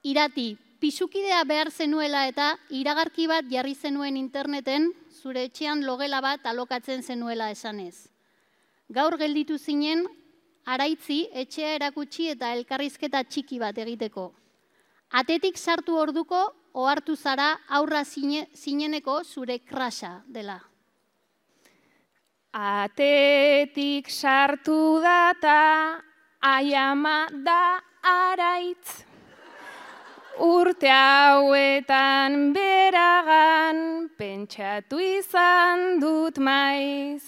Irati, pisukidea behar zenuela eta iragarki bat jarri zenuen interneten, zure etxean logela bat alokatzen zenuela esanez. Gaur gelditu zinen, araitzi etxea erakutsi eta elkarrizketa txiki bat egiteko. Atetik sartu orduko, ohartu zara aurra zineneko zure krasa dela. Atetik sartu data, aiama da araitz. Urte hauetan beragan, pentsatu izan dut maiz.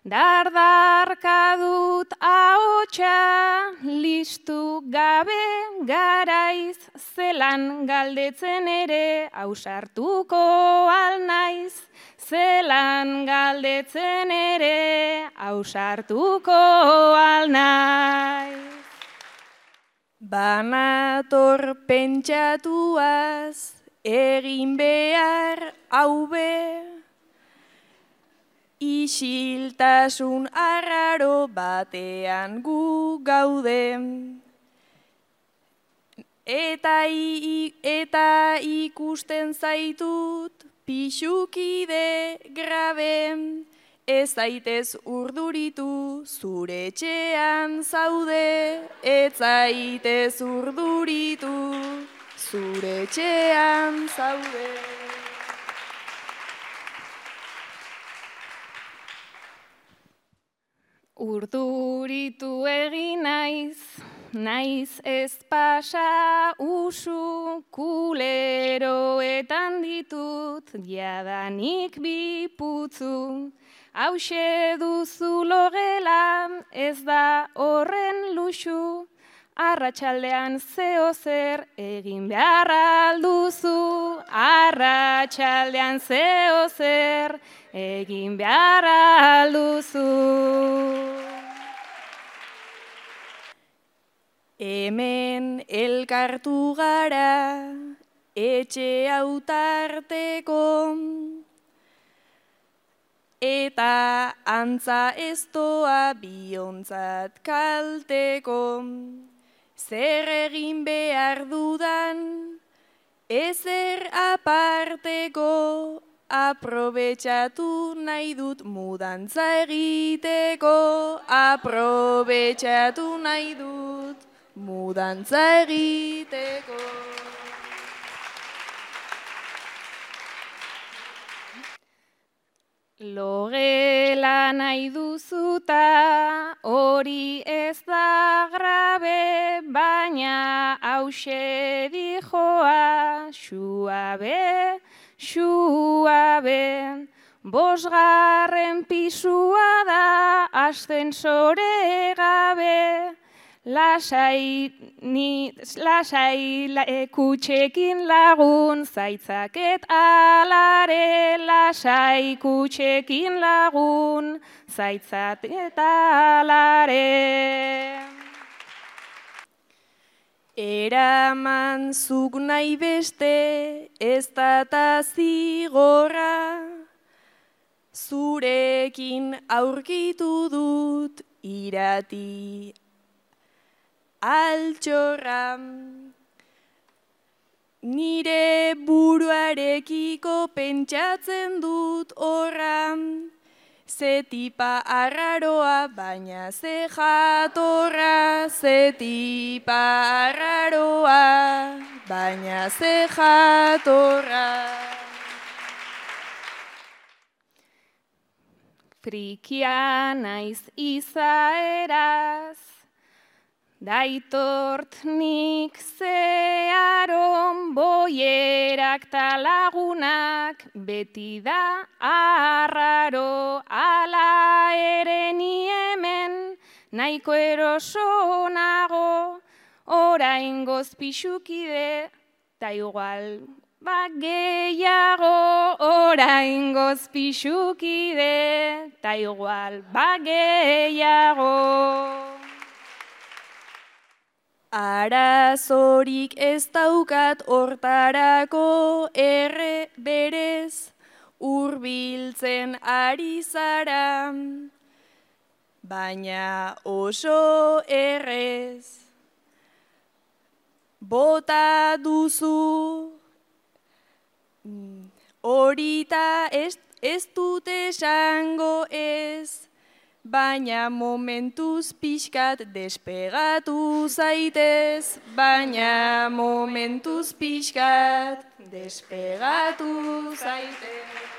Dardarka dut ahotsa, listu gabe garaiz. Zelan galdetzen ere, ausartuko alnaiz. Zelan galdetzen ere, ausartuko alnaiz. Banator pentsatuaz, egin behar haube, isiltasun arraro batean gu gaude. Eta ikusten zaitut, pisukide grabe, ez zaitez urduritu, zure etxean zaude. Ez zaitez urduritu, zure etxean zaude. Urduritu egin naiz ez pasa usu, kuleroetan ditut, jadanik bi putzu. Hauxe duzu logela, ez da horren luxu, arratsaldean zeo zer egin behar alduzu. Arratsaldean zeo zer egin behar alduzu. Hemen elkartu gara, etxe hautarteko, eta antza ez doa biontzat kalteko. Zer egin behar dudan, ezer aparteko, aprobetxatu nahi dut mudantza egiteko. Aprobetxatu nahi dut mudantza egiteko. Logela nahi duzuta, hori ez da grabe, baina hause dijoa, suabe, suabe. 5. pisua da, ascensore gabe. Lasai kutxekin lagun, zaitzaket alare. Lasai kutxekin lagun, zaitzaket alare. Eraman zuk nahi beste, ez da zigorra. Zurekin aurkitu dut irati altxorra. Nire buruarekiko pentsatzen dut horra. Ze tipa arraroa, baina ze jatorra. Ze tipa arraroa, baina ze jatorra. Frikia naiz izaeraz, daitort nik zeharon, boierak talagunak, beti da arraro. Ala ere ni hemen, nahiko eroso nago, oraingoz pisukide, ta igual gehiago. Oraingoz pisukide, ta igual gehiago. Arazorik ez daukat hortarako berez, hurbiltzen ari zara, baina oso errez. bota duzu. Horita ez dut esango ez, baina momentuz pixkat despegatu zaitez, baina momentuz pixkat despegatu zaitez.